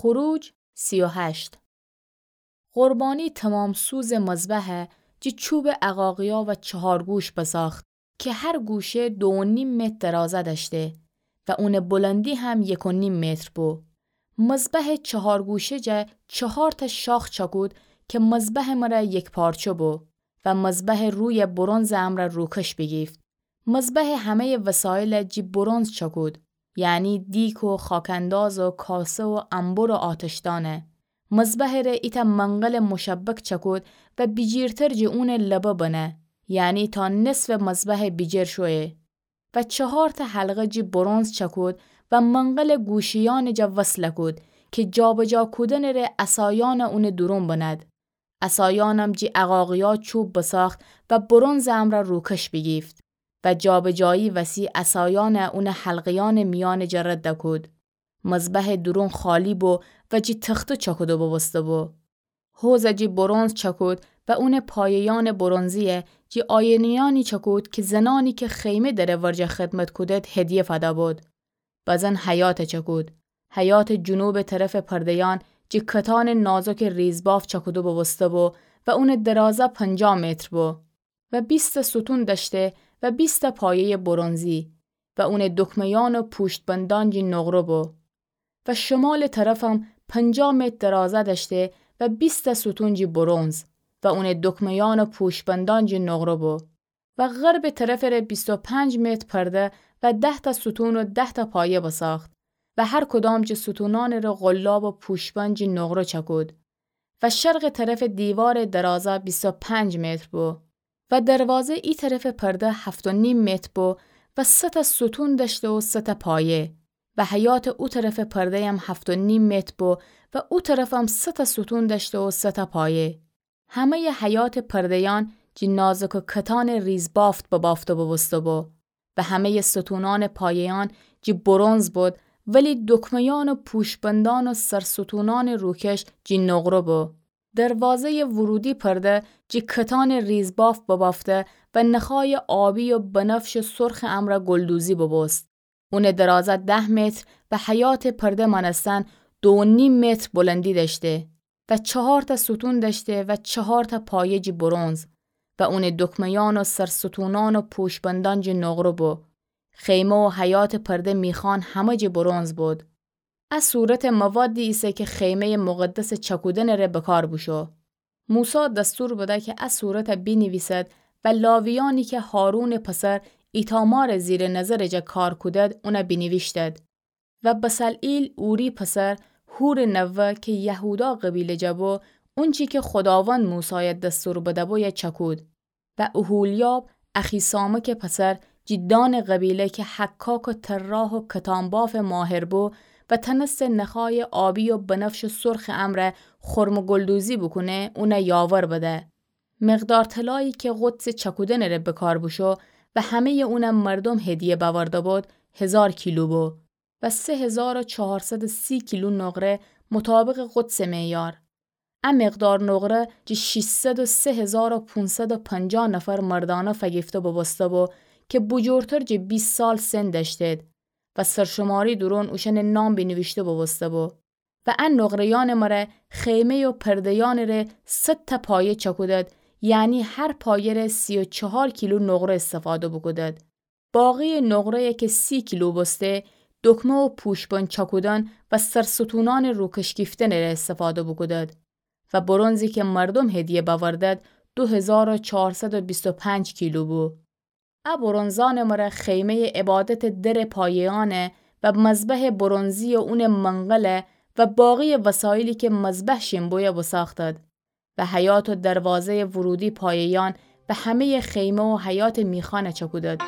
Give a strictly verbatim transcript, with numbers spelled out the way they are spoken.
خروج سی و هشت. قربانی تمام‌سوزٚ مذبحه جی چوبٚ عقاقیا و چهارگوش بساخت که هر گوشه دو و نیم متر درازه دأشته و اونٚ بلندی هم یک و نیم متر بو. مذبحٚ چهارگوشه جا چهارتأ شاخ چأکود که مذبحٚ مره یکپارچه بو و مذبحٚ روی برنزٚ امرأ روکش بیگیفت. مذبحٚ همه‌یٚ وسایل جی برنز چأکود، یعنی دیک و خاک‌انداز و کاسه و انبر و آتشدانه. مذبحٚ ره ایتأ منقلٚ مشبک چأکود و بیجیرتر جی اونٚ لبه بنه، یعنی تا نصفٚ مذبحٚ بیجیر شویه. و چهارتأ حلقه جی برنز چأکود و منقلٚ گوشه‌یأنٚ جا وصل کود که جابجا کودنٚ ره عصایأن اونٚ دورون بند. عصایأنم جی عقاقیا چوب بساخت و برنزٚ امرأ روکش بیگیفت و جابجایی وسی عصایأن اونٚ حلقه‌یأنٚ میأنٚ جا رد کود. مذبحٚ دورون خالی بو و جی تخته چأکوده بوبوسته بو. حوض جی برنز چأکود و اونٚ پایه‌یأنٚ برنزیه جی آینه‌یأنی چأکود که زنأنی که خیمه دره ورجه خدمت کودد هدیه فده بود. بزن حیاطه چأکود. حیاطٚ جنوبٚ طرفٚ پرده‌یأن جی کتانٚ نازکٚ ریزبافت چأکوده بوبوسته بو و اونٚ درازه پنجاه متر بو و بیستأ ستون دأشته و بیستأ پایه‌یٚ برنزی و اونٚ دکمه‌یأن و پوشت‌بندأن جی نقره بو. و شمالٚ طرفم پنجاه متر درازه دأشته و بیستأ ستون جی برنز و اونٚ دکمه‌یأن و پوشت‌بندأن جی نقره بو. و غربٚ طرفٚ ره بیست و پنج متر پرده و ده‌تأ ستون و ده‌تأ پایه بساخت و هر کدام جی ستونأنٚ ره قلاب و پوشت‌بند جی نقره چأکود. و شرقٚ طرفٚ دیوارٚ درازه بیست و پنج متر بو. و دروازه ای طرفٚ پرده هفت و نیم متر بو و سه‌تأ ستون دأشته و سه‌تأ پایه. و حیاطٚ او طرفٚ پرده‌یم هفت و نیم متر بو و او طرفم سه‌تأ ستون دأشته و سه‌تأ پایه. همه‌یٚ حیاطٚ پرده‌یأن جی نازکٚ کتانٚ ریزبافت ببافته بوبوسته بو و همه‌یٚ ستونأنٚ پایه‌یأن جی برنز بود، ولی دکمه‌یأن و پوشت‌بندأن و سرستونأنٚ روکش جی نقره بو. دروازه‌یٚ ورودی پرده جی کتانٚ ریزبافت ببافته و نخایٚ آبی و بنفش و سرخٚ امرأ گلدوزی بوبوست. اونٚ درازه ده متر و حیاطٚ پرده مأنستن دو و نیم متر بلندی دأشته و چهارتأ ستون دأشته و چهارتأ پایه جی برنز و اونٚ دکمه‌یأن و سرستونأن و پوشت‌بندأن جی نقره بو. خیمه و حیاطٚ پرده میخأن همه جی برنز بود. ا صورت موادی ایسه که خیمه‌یٚ مقدسٚ چأکودنٚ ره بکار بوشو. موسی دستور بده که ا صورت بینیویسد و لاویأنی که هارونٚ پسر ایتامارٚ زیرٚ نظرٚ جا کار کودد، اون بینیویشتد. و بصلعیل اوری پسر هورٚ نوه که یهودا قبیله جا بو، اونچی که خوداوند موسای دستور بده بو، چأکود. و اوحولیاب، اخیسامکٚ پسر، جی دانٚ قبیله که حکاک و طراح و کتان‌بافٚ ماهر بو و تنسته نخایٚ آبی و بنفش و سرخٚ امرأ خرم و گلدوزی بوکونه، اون یاور بده. مقدار طلایی که قدسٚ چأکودنٚ ره بکار بوشو و همه‌یٚ اون مردوم هدیه بأورده بود، هزار کیلو بو. و سه هزار و چهارصد و سی کیلو نقره مطابقٚ قدسٚ معیار. ا مقدار نقره جی شیشصد و سه هزار و پونصد و پنجاه نفر مردأنه فگیفته بوبوسته بو که بوجورتر جی بیست سال سن دأشتید و سرشماری دورون اوشأنٚ نام بینیویشته بوبوسته بو. و ا نقره‌یأنٚ مره خیمه و پرده‌یأنٚ ره صد تا پایه چأکودد، یعنی هر پایه ره سی و چهار کیلو نقره استفاده بوکودد. باقی نقره‌یی که سی کیلو بوسته، دکمه و پوشبن چاکودن و سرستونانٚ روکش گیفتنٚ ره استفاده بوکودد و برنزی که مردوم هدیه بأوردد، دو هزار و چهارصد و بیست و پنج کیلو بو. ا برنزانٚ مره خیمه‌یٚ عبادتٚ درٚ پایه‌یأنه و مذبحٚ برنزی و اونٚ منقله و باقی وسایلی که مذبح شین بویه بوساختد. و حیاط و دروازه‌یٚ ورودی پایه‌یأن و همه‌یٚ خیمه و حیاطٚ میخانه چاکودد.